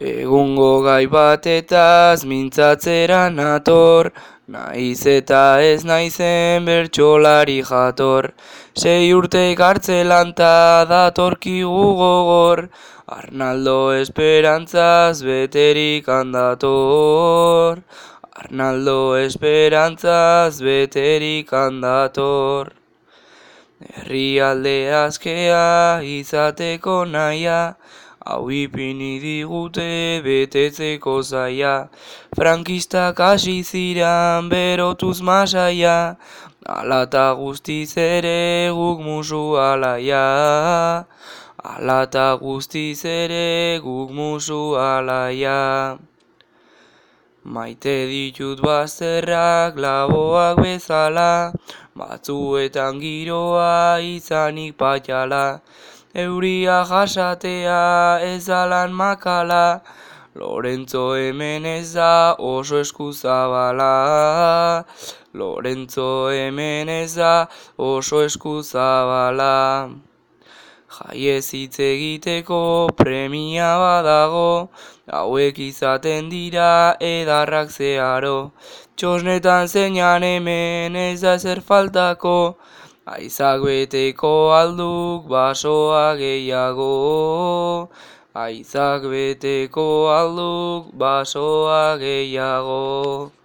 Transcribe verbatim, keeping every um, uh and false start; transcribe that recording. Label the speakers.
Speaker 1: Egungo gai batetaz mintzatzera nator, naiz eta ez naizen bertsolari jator. Sei urte kartzelan ta datorkigu gogor, Arnaldo esperantzaz beterik handator. Arnaldo esperantzaz beterik handator. Herrialde askea izateko naia, hau ipini digute betetzeko zaia. Frankistak hasi ziran berotuz masaia, alata guztiz ere guk musu alaia. Alata guztiz ere guk musu alaia. Maite ditut bazterrak laboak bezala, batzuetan giroa izanik patxala. Euria jasatea ez alan makala, Lorentzo hemen ez da oso eskuzabala. Lorentzo hemen ez da oso eskuzabala. Jaiez hitz egiteko premia badago, hauek izaten dira edarrak zeharo. Txosnetan zeinan hemen ez da ezer faltako, aizak beteko alduk basoa gehiago. Aizak beteko alduk basoa gehiago.